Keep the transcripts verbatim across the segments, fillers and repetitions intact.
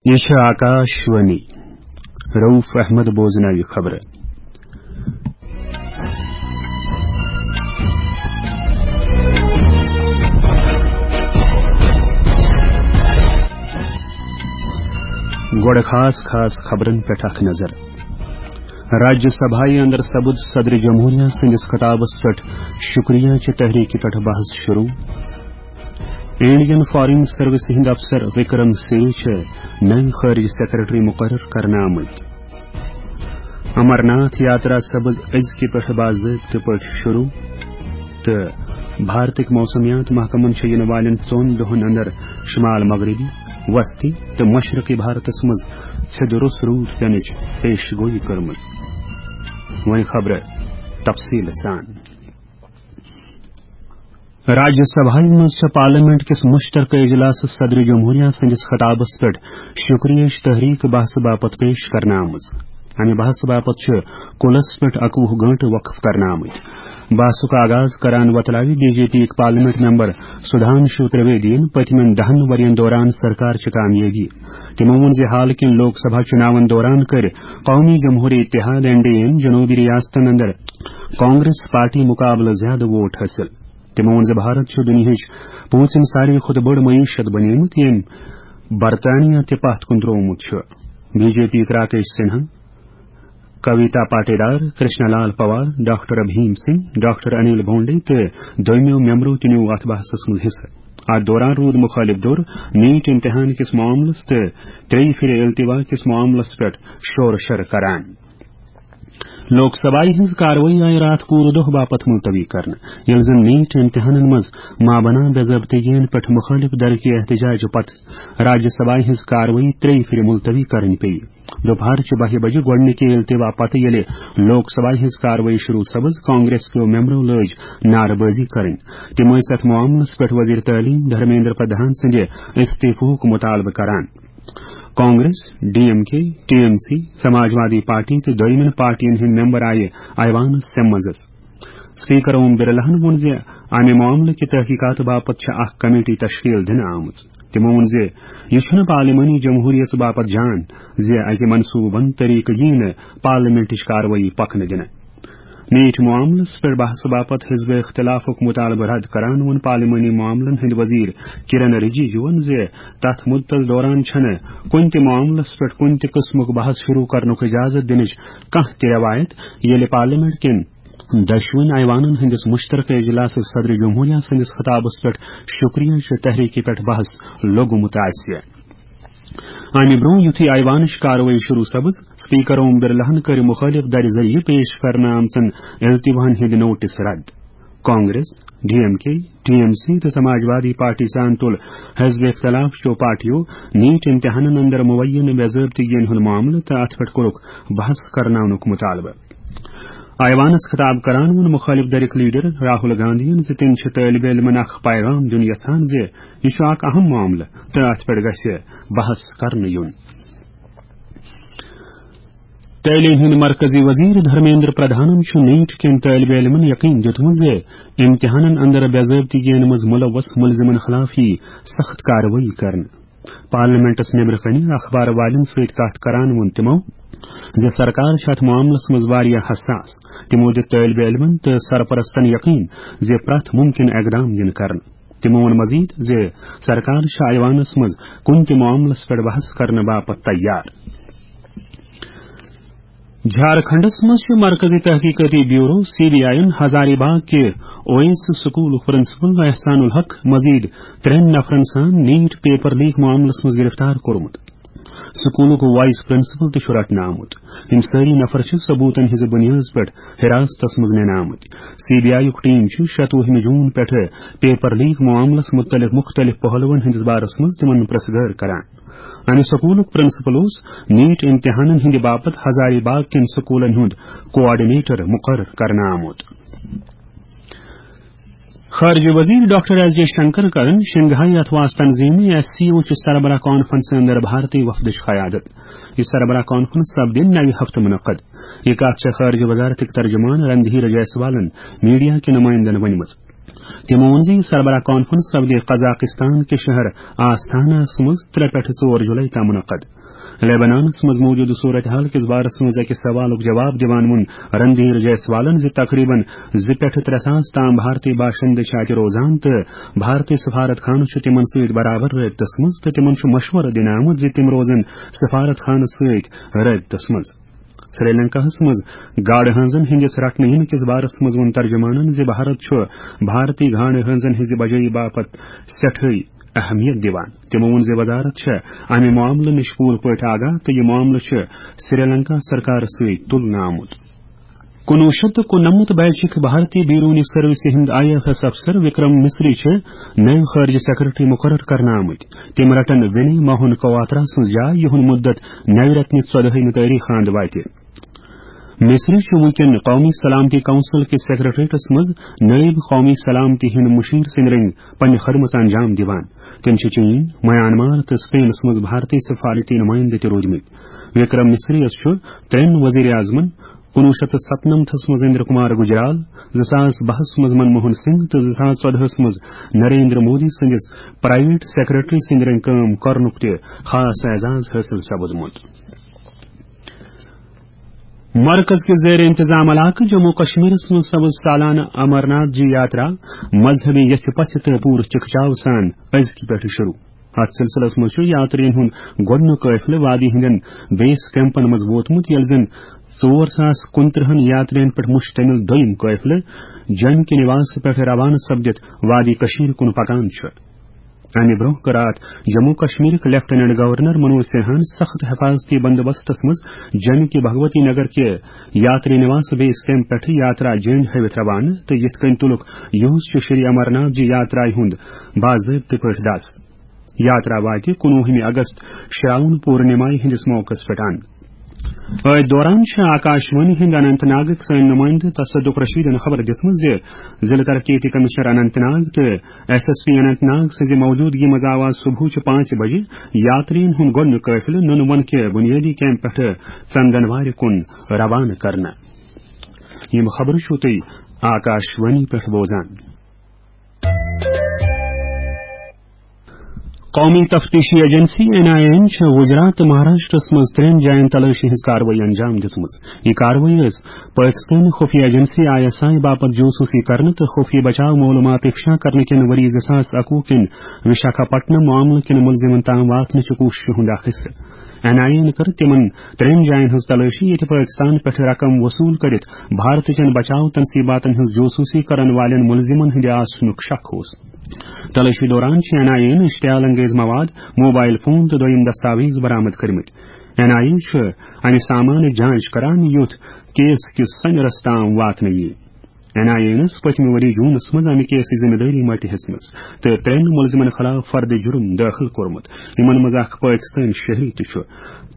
یہِ چھِ آکاش وانی۔ رؤف احمد بوزناوِ خبرٕ۔ گۄڈٕ خاص خاص خبرن پٮ۪ٹھ اکھ نظر۔ راجیہ سبھایہ اندر سپُد صدر جمہوریہ سٕنٛدِس خطابس پٮ۪ٹھ شکریہ چہِ تحریکہِ پٮ۪ٹھ بحث شروع۔ انڈین فارن سروس ہٕنٛدۍ افسر وکرم سے چھِ نٔوۍ خارجہ سیکرٹری مقرر کرنہٕ آمٕتۍ۔ امرناتھ یاترا سپٕز أزکہِ پٮ۪ٹھ باضٲبطہٕ پٲٹھۍ شروع تہٕ بھارتٕکۍ موسمیات محکمن چھِ یِنہٕ والٮ۪ن ژۄن دۄہن اندر شمال مغربی، وسطی تہٕ مشرقی بھارتس منٛز سیٚدٕ روٚس روٗد پینٕچ پیش گویی کٔرمٕژ۔ وۄنۍ خبرٕ تفصیٖل سان۔ راجیہ سبھایہ منٛز چھےٚ پارلیمنٹ کِس مشترکہٕ اجلاسس صدر جمہوریہ سٕنٛدِس خطابس پٮ۪ٹھ شکریہٕچ تحریک بحثہٕ باپتھ پیش کرنہٕ آمٕژ۔ امہِ بحثہٕ باپتھ چھِ کُلس پٮ۪ٹھ اَکوُہ گٲنٹہٕ وقف کرنہٕ آمٕتۍ۔ بحثُک آغاز کران وۄتلاوِ بی جے پی یِکۍ پارلیمنٹ ممبر سدھانشو ترویدین پٔتمٮ۪ن دَہن ؤرین دوران سرکار چہِ کامیٲبی۔ تِمو ووٚن زِ حال کٮ۪ن لوک سبھا چُناون دوران کٔرۍ قومی جمہوری اتحاد، این ڈی اے یَن جنوبی ریاستن اندر کانگریس پارٹی مقابلہٕ زیادٕ ووٹ حٲصِل۔ تِمو ووٚن زِ بھارت چھُ دُنیاہٕچ پوٗنٛژِم ساروی کھۄتہٕ بٔڑ معیشت بنیمٕژ، ییٚمۍ برطانیہ تہِ پتھ کُن تروومُت چھُ۔ بی جے پی یِکۍ راکیش سنہا، کویتا پاٹیدار، کرشنا لال پوار، ڈاکٹر ابھیم سنگھ، ڈاکٹر انل بونڈے تہٕ دویمو ممبرو تہِ نیوٗ اتھ بحثس منٛز حصہٕ۔ اتھ دوران روٗد مُخٲلِف دھُر نیٹ امتحان کِس معاملس تہٕ ترٛیٚیہِ پھِرِ التوا کِس معاملس پٮ۪ٹھ شور شر کران۔ لوک سبھایہ ہٕنٛز کاروٲیی آیہِ راتھ پوٗرٕ دۄہ باپتھ ملتوی کرنہٕ، ییٚلہِ زن نیٹ امتحانن منٛز مابنا بے ضٲبطگین پٮ۪ٹھ مُخٲلِف دھرکہِ احتجاجہٕ پتہٕ راجیہ سبھایہ ہٕنٛز کاروٲیی ترٛیٚیہِ پھِرِ ملتوی کرٕنۍ پیٚیہِ۔ دُپہرچہِ بَہہِ بجہِ گۄڈٕنِکہِ التوا پتہٕ ییٚلہِ لوک سبھایہ ہٕنٛز کاروٲیی شروع سپٕز، کانگریس کیو ممبرو لٲج نعرٕ بٲزی کرٕنۍ۔ تِم ٲسۍ اتھ معاملس پٮ۪ٹھ وزیر تعلیم دھرمیندر پردھان سٕنٛدِ استعفہُک مطالبہٕ کران۔ Congress, D M K, T M C, Samajwadi party تہٕ دوٚیمٮ۪ن پارٹین ہٕنٛدۍ ممبر آیہِ ایوانس تَمہِ منٛزس۔ سپیکر اوم برلاہن ووٚن زِ امہِ معاملہٕ کہِ تحقیقات باپتھ چھےٚ اکھ کمیٹی تشکیل دِنہٕ آمٕژ۔ تِمو ووٚن زِ یہِ چھُنہٕ پارلیمانی جمہوریت باپتھ جان زِ اکہِ منصوٗبہٕ بنٛد طریقہٕ یِیہِ نہٕ پارلیمنٹٕچ کاروٲیی پکنہٕ دِنہٕ۔ نیٹ معاملس پٮ۪ٹھ بحثہٕ باپتھ حزب اختلافُک مطالبہٕ رد کران ووٚن پارلیمانی معاملن ہٕنٛدۍ وزیر کرن رجیجوَن زِ تتھ مدتس دوران چھنہٕ کُنہِ تہِ معاملس پٮ۪ٹھ کُنہِ تہِ قٕسمُک بحث شروع کرنُک اجازت دِنٕچ کانٛہہ تہِ رٮ۪وایت، ییٚلہِ پارلیمنٹ کٮ۪ن دۄشوٕنۍ ایوانن ہٕنٛدِس مشترکہٕ اجلاسس صدر جمہوریہ سٕنٛدِس خطابس پٮ۪ٹھ شکریہ چہِ تحریکہِ پٮ۪ٹھ بحث لوٚگمُت آسہِ۔ امہِ برٛونٛہہ یُتھُے ایوانٕچ کاروٲیی شروع سپٕز، سپیکر اوم برلاہن کٔرۍ مُخٲلِف دَرِ ذٔریعہٕ پیش کرنہٕ آمژن التواہن ہٕنٛدۍ نوٹس رد۔ Congress, D M K, T M C تہٕ سماجوادی پارٹی سان تُل حزب اختلاف چیو پارٹیو نیٹ امتحانن اندر مبینہ بے ضٲبطگین ہُنٛد معاملہٕ تہٕ اتھ پٮ۪ٹھ کوٚرُکھ بحث کرناونُک مطالبہٕ۔ ایوانس خطاب کران ووٚن مُخٲلِف دھرِک لیڈر راہل گاندھین زِ تِم چھِ طٲلبِ علمن اکھ پیغام دیُن یژھان زِ یہِ چھُ اکھ اہم معاملہٕ تہٕ اتھ پٮ۪ٹھ گژھِ بحث کرنہٕ یُن۔ تعلیٖم ہٕنٛدۍ مرکزی وزیر دھرمیندر پردھانن چھُ نیٹ کٮ۪ن طٲلبِ علمن یقین دیُتمُت زِ امتحانن اندر بے ضٲبطگین منٛز ملوث ملزمن خلاف یِیہِ سخت کاروٲیی کرنہٕ۔ پارلیمنٹس نیبرٕ کنہِ اخبار والٮ۪ن سۭتۍ کتھ کران ووٚن تِمو زِ سرکار چھِ اتھ معاملس منٛز واریاہ حساس۔ تِمو دیُت طٲلبِ علمن تہٕ سرپرستن یقین زِ پرٛٮ۪تھ ممکن اقدام یِن کرنہٕ۔ تِمو ووٚن مزید زِ سرکار چھِ ایوانس منٛز کُنہِ تہِ معاملس پٮ۪ٹھ بحث کرنہٕ باپتھ تیار۔ جھارکھنڈس منٛز چھُ مرکزی تحقیقاتی بیورو، سی بی آئی یَن، ہزاری باغ کہِ اویس سکولُک پرنسپل احسان الحق مزید ترٛٮ۪ن نفرن سان نیٹ پیپر لیک معاملس منٛز گرفتار کوٚرمُت۔ سکولُک وائس پرنسپل تہِ چھُ رٹنہٕ آمُت۔ یِم سٲری نفر چھِ ثبوتن ہٕنٛزِ بُنیٲدِ پٮ۪ٹھ حراستس منٛز نِنہٕ آمٕتۍ۔ سی بی آئی یُک ٹیم چھُ شَتوُہمہِ جون پٮ۪ٹھٕ پیپر لیک معاملس مُتعلق مُختٔلِف پہلوَن ہٕنٛدِس بارس منٛز تِمن پرژھ گٲر کران۔ امہِ سکولُک پرنسپل اوس نیٹ امتحانن ہٕنٛدِ باپتھ ہزاری باغ کٮ۪ن سکولن ہُنٛد کوآرڈینیٹر مقرر کرنہٕ آمُت۔ خارجہ وزیر ڈاکٹر ایس جے شنکر کرن شنگھائی اتھواس تنظیمہِ، ایس سی او، چہِ سربراہ کانفرنس اندر بھارتی وفدٕچ قیادت۔ یہِ سربراہ کانفرنس سپدِ نوِ ہفتہٕ منعقد۔ یہِ کتھ چھےٚ خارجہ وزارتٕکۍ ترجمان رندھیر جیسوالن میڈیا کہِ نمائندن ؤنمٕژ۔ تِمو ووٚن زِ یہِ سربراہ کانفرنس سپدِ قزاقستان کہِ شہر آستاناہس منٛز ترٛےٚ پٮ۪ٹھٕ ژور جولائی تام منعقد۔ لیبنانس منٛز موجودٕ صورتحال کِس بارس منٛز أکِس سوالُک جواب دِوان ووٚن رندھیر جیسوالن زِ تقریباً زٕ پٮ۪ٹھٕ ترٛےٚ ساس تام بھارتی باشندٕ چھِ اَتہِ روزان تہٕ بھارتی سفارت خانہٕ چھُ تِمن سۭتۍ برابر رٲبطس منٛز تہٕ تِمن چھُ مشورٕ دِنہٕ آمُت زِ تِم روزن سفارت خانہٕ سۭتۍ رٲبطس منٛز۔ سری لنکاہس منٛز گاڈٕ ہٲنزن ہٕنٛدِس رٹنہٕ یِنہٕ کِس بارس منٛز ووٚن ترجمانن زِ بھارت چھُ بھارتی گاڈٕ ہٲنزن ہٕنٛزِ بجٲیی باپتھ سٮ۪ٹھٕے اہمیت دِوان۔ تِمو ووٚن زِ وزارت چھےٚ امہِ معاملہٕ نِش پوٗرٕ پٲٹھۍ آگاہ تہٕ یہِ معاملہٕ چھُ سری لنکا سرکارس سۭتۍ تُلنہٕ آمُت۔ کُنوُہ شیٚتھ تہٕ کُننمتھ بیچٕکۍ بھارتی بیرونی سروسہِ ہٕنٛدۍ آئی ایف ایس افسر وکرم مصری چھِ نٔوۍ خارجہ سیکرٹری مقرر کرنہٕ آمٕتۍ۔ تِم رٹن وِنی موہن کواترا سٕنٛز جاے، یِہُنٛد مُدت نَوِ رٮ۪تہٕ نہِ ژۄدہٲیمہِ تٲریخ اند واتہِ۔ مصری چھُ وٕنکٮ۪ن قومی سلامتی کونسل کِس سیکرٹریٹس منٛز نائب قومی سلامتی ہٕنٛدۍ مشیر سٕنٛدۍ رٔنگۍ پننہِ خدمژ انجام دِوان۔ تِم چھِ چین، میانمار تہٕ سپینس منٛز بھارتی سفارتی نمائندٕ تہِ روٗدمٕتۍ۔ وکرم مصری یس چھُ ترٛٮ۪ن وزیر اعظمن، کُنوُہ شیٚتھ تہٕ ستنمتھس منٛز اندر کمار گجرال، زٕ ساس بہس منٛز منموہن سنگھ تہٕ زٕ ساس ژۄدہس منٛز نریندر مودی سٕنٛدِس پرائیویٹ سیکرٹری سٕنٛدۍ رٔنگۍ کٲم کرنُک تہِ خاص اعزاز حٲصِل سپُدمُت۔ مرکز کِس زیر انتظام علاقہٕ جموں کشمیرس منٛز سپٕز سالانہٕ امرناتھ جی یاترا مذہبی یژھِ پژھِ تہٕ پوٗرٕ چکچاو سان أزکہِ پٮ۪ٹھٕ شروع۔ اتھ سلسلس منٛز چھُ یاترین ہُنٛد گۄڈٕنیُک قٲفلہٕ وادی ہٕنٛدٮ۪ن بیس کیمپن منٛز ووتمُت، ییٚلہِ زن ژور ساس کُنترٕہن یاترین پٮ۪ٹھ مشتمل دوٚیِم قٲفلہٕ جن کے نواس پٮ۪ٹھ روانہٕ سپدِتھ وادی کشمیر کُن پکان چھُ۔ امہِ برونٛہہ کٔر اتھ جموں کشمیرٕکۍ لیفٹیننٹ گورنر منوج سنہاہن سخت حفاظتی بندوبستس منٛز جن کے بھگوتی نگر کہِ یاتری نواس بیس کیمپ پٮ۪ٹھٕ یاترا جینڈ ہٲوِتھ روانہٕ تہٕ یِتھ کٔنۍ تُلُکھ یُہُس چھُ شری امرناتھ جی یاترایہِ ہُنٛد باضٲبطہٕ پٲٹھۍ دس۔ یاترا واتہِ کُنوُہمہِ اگست شراون پورنمایہِ ہٕنٛدِس موقعس پٮ۪ٹھ اند۔ أتھۍ دوران چھِ آکاش وانی ہٕنٛدۍ اننت ناگٕکۍ سٲنۍ نُمٲیندٕ تصدق رشیدن خبر دِژمٕژ زِ ضلع ترقیتی کمشنر اننت ناگ تہٕ S S P Anant Nag سٕنٛزِ موجودگی منٛز آو آز صبحٕچہِ پانٛژِ بجہِ یاترین ہُنٛد گۄڈٕنیُک قٲفلہٕ نُنہٕ وَن کہِ بُنیٲدی کیمپ پٮ۪ٹھٕ ژندن وارِ کُن روانہٕ کرنہٕ۔ یِم خبرٕ چھِو تُہۍ آکاش وانی پٮ۪ٹھ بوزان۔ قومی تفتیشی ایجنسی این آئی اے چھِ گجرات تہٕ مہاراشٹرس منٛز ترٛٮ۪ن جاین تلٲشی ہٕنٛز کاروٲیی انجام دِژمٕژ۔ یہِ کاروٲیی ٲس پٲکستٲنۍ خفیہ ایجنسی آئی ایس آئی باپتھ جوسوٗسی کرنہٕ تہٕ خفیہ بچاو معلومات افشا کرنہٕ کٮ۪ن ؤری زٕ ساس اَکوُہ کٮ۪ن وشاکھاپٹنم معاملہٕ کٮ۪ن مُلزِمن تام واتنٕچہِ کوٗششہِ ہُنٛد اکھ حصہٕ۔ این آئی اے کٔر تِمن ترٛٮ۪ن جاین ہٕنٛز تلٲشی، ییٚتہِ پٲکستان پٮ۪ٹھ رقم وصوٗل کٔرِتھ بھارتٕچن بچاو تنصیباتن ہٕنٛز جوسوٗسی کرن والٮ۪ن مُلزِمن ہٕنٛدِ آسنُک شک اوس۔ تلٲشی دوران چھِ این آئی اے اشتعال انگیز مواد، موبائل فون تہٕ دوٚیِم دستاویز برآمد کٔرمٕتۍ۔ این آئی اے چھُ امہِ سامانٕچ جانچ کران، یُتھ کیس کِس سنجرس تام واتنہٕ یِیہِ۔ این آئی اے پٔتمہِ ؤری جوٗنس منٛز امہِ کیسٕچ ذمہٕ دٲری مٔٹہِ ہیٚژمٕژ تہٕ ترٛٮ۪ن مُلزِمن خلاف فرد جُرم دٲخل کوٚرمُت، یِمن منٛز اکھ پٲکستٲنۍ شہری تہِ چھُ۔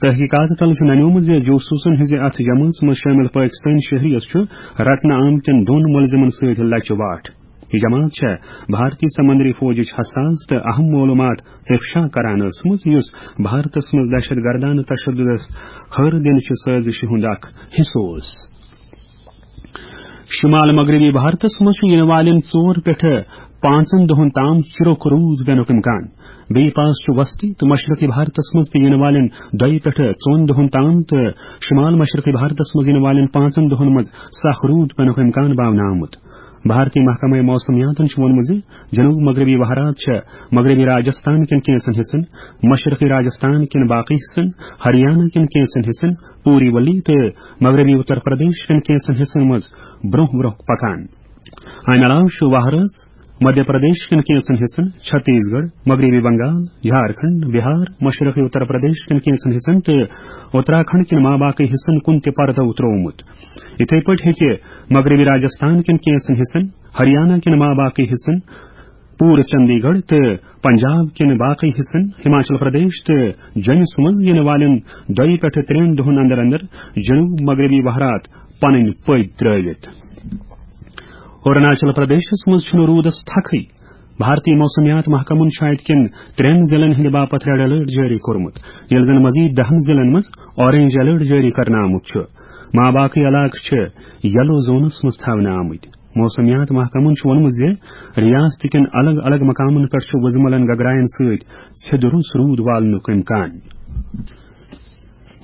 تحقیقات تل چھُ ننیومُت زِ جوسوٗسن ہٕنٛزِ اتھ جمٲژ منٛز شٲمِل پٲکستٲنۍ شہریَس چھُ رٹنہٕ آمتٮ۪ن دۄن مُلزِمن سۭتۍ لچہِ واٹھ۔ یہِ جماعت چھےٚ بھارتی سمندری فوجٕچ حساس تہٕ اہم معلومات افشا کران ٲسمٕژ، یُس بھارتس منٛز دہشت گردانہٕ تشددس ہر دِنہٕ چہِ سٲزشہِ ہُنٛد اکھ حصہٕ اوس۔ شمال مغربی بھارتس منٛز چھُ یِنہٕ والٮ۪ن ژور پٮ۪ٹھٕ پانٛژن دۄہن تام چِرُک روٗد پینُک امکان۔ بیٚیہِ پاس چھُ وسطی تہٕ مشرقی بھارتس منٛز تہِ یِنہٕ والٮ۪ن دۄیہِ پٮ۪ٹھٕ ژۄن دۄہن تام تہٕ شمال مشرقی بھارتس منٛز یِنہٕ والٮ۪ن پانٛژن دۄہن منٛز سخ روٗد پینُک امکان باونہٕ آمُت۔ بھارتی محکمہ موسمیاتن چھُ ووٚنمُت زِ جنوب مغربی وہرات چھےٚ مغربی راجستھان کٮ۪ن کینٛژن حصن، مشرقی راجستھان کٮ۪ن باقی حصن، ہریانہ کٮ۪ن کینٛژن حصن، پوری ولی تہٕ مغربی اتر پردیش کٮ۪ن کینٛژن حصن منٛز برونٛہہ برونٛہہ پکان۔ امہِ علاوٕ چھُ وہرٲژ مدھیہ پردیش کٮ۪ن کینٛژن حصن، چھتیس گڑھ، مغربی بنگال، جھارکھنڈ، بہار، مشرقی اتر پردیش کٮ۪ن کینٛژن حصن تہٕ اتراکھنڈ کٮ۪ن ماباقی حصن کُن تہِ پردو تروومُت۔ یِتھے پٲٹھۍ ہیٚکہِ مغربی راجستھان کٮ۪ن کینٛژن حصن، ہریانہ کٮ۪ن ماباقی حصن، پوٗرٕ چندی گڑھ تہٕ پنجاب کٮ۪ن باقی حصن، ہماچل پردیش تہٕ جوٚمِس منٛز یِنہٕ والٮ۪ن دۄیہِ پٮ۪ٹھٕ ترٛٮ۪ن دۄہن اندر اندر جنوب مغربی وہرات پنٕنۍ پٔدۍ ترٲوِتھ۔ اروناچل پردیشس منٛز چھُنہٕ روٗدس تھکھٕے۔ بھارتی موسمیات محکمن چھُ اتہِ کٮ۪ن ترٛٮ۪ن ضلعن ہٕنٛدِ باپتھ ریڈ الرٹ جٲری کوٚرمُت، ییٚلہِ زن مزید دہن ضلعن منٛز اورنج الرٹ جٲری کرنہٕ آمُت چھُ۔ ماباقی علاقہٕ چھِ یلو زونس منٛز تھاونہٕ آمٕتۍ۔ موسمیات محکمن چھُ ووٚنمُت زِ ریاست کٮ۪ن الگ الگ مقامن پٮ۪ٹھ چھُ وُزملن گگراین سۭتۍ سیٚدِ روٚس روٗد والنُک امکان۔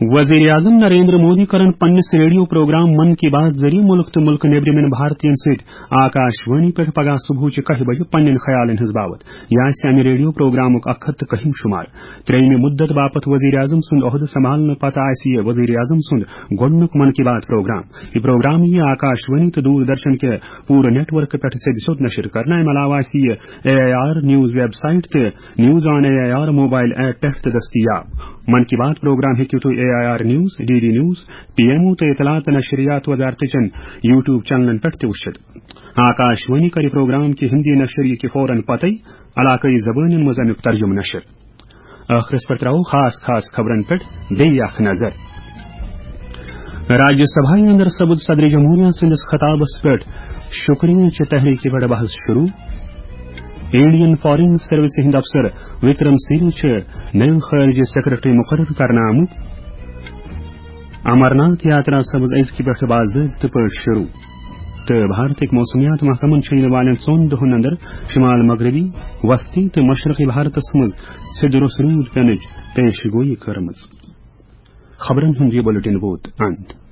وزیر اعظم نریندر مودی کرن پننِس ریڈیو پروگرام من کی بات ذٔریعہٕ مُلک تہٕ مُلکہٕ نیٚبرِمٮ۪ن بھارتین سۭتۍ آکاش وانی پٮ۪ٹھ پگاہ صبحٕچہِ کاہہِ بجہِ پننٮ۪ن خیالن ہٕنٛز باوتھ۔ یہِ آسہِ امہِ ریڈیو پروگرامُک اکھ ہتھ تہٕ کٔہِم شمار۔ ترٛیٚیمہِ مُدت باپتھ وزیر اعظم سُنٛد عہدٕ سنبھالنہٕ پتہٕ آسہِ یہِ وزیر اعظم سُنٛد گۄڈٕنیُک من کی بات پروگرام۔ یہِ پروگرام یِیہِ آکاش وانی تہٕ دوردرشن کہِ پوٗرٕ نیٹ ورکہٕ پٮ۪ٹھ سیٚدِ سیوٚد نشر کرنہٕ۔ امہِ علاوٕ آسہِ یہِ A I R news website تہٕ news on A I R mobile app پٮ۪ٹھ تہِ دٔستیاب۔ من کی بات پروگرام ہیٚکِو تُہۍ A I R news, D D news, P M O تہٕ اطلاعات تہٕ نشریات وزارتٕچن یوٹیوب چینلن پٮ۪ٹھ تہِ وٕچھِتھ۔ آکاش وانی کرِ پروگرام کہِ ہندی نشر یہِ کہِ فوراً پتے علاقٲیی زبٲنٮ۪ن منٛز امیُک ترجمہٕ نشر۔ ٲخرس پٮ۪ٹھ ترٛاوو خاص خاص خبرن پٮ۪ٹھ بیٚیہِ اکھ نظر۔ راجیہ سبھایہ اندر سپُد صدر جمہوریہ سٕنٛدِس خطابس پٮ۪ٹھ شکریہ چہِ تحریکہِ پٮ۪ٹھ بحث شروع۔ انڈین فارن سروسہِ ہٕنٛدۍ افسر وکرم سیری چھِ نٔوۍ خارجہ سیکرٹری مقرر کرنہٕ آمٕتۍ۔ امرناتھ یاترا سپٕز أزکہِ پٮ۪ٹھٕ باضٲبطہٕ پٲٹھۍ شروع۔ تہٕ بھارتٕکۍ موسمیات محکمن چھُ یِنہٕ والٮ۪ن ژۄن دۄہن اندر شمال مغربی، وسطی تہٕ مشرقی بھارتس منٛز سیٚدِ روٚس روٗد پینٕچ پیش گویی کٔرمٕژ۔ خبرن ہُنٛد یہِ بُلٹن ووت اند۔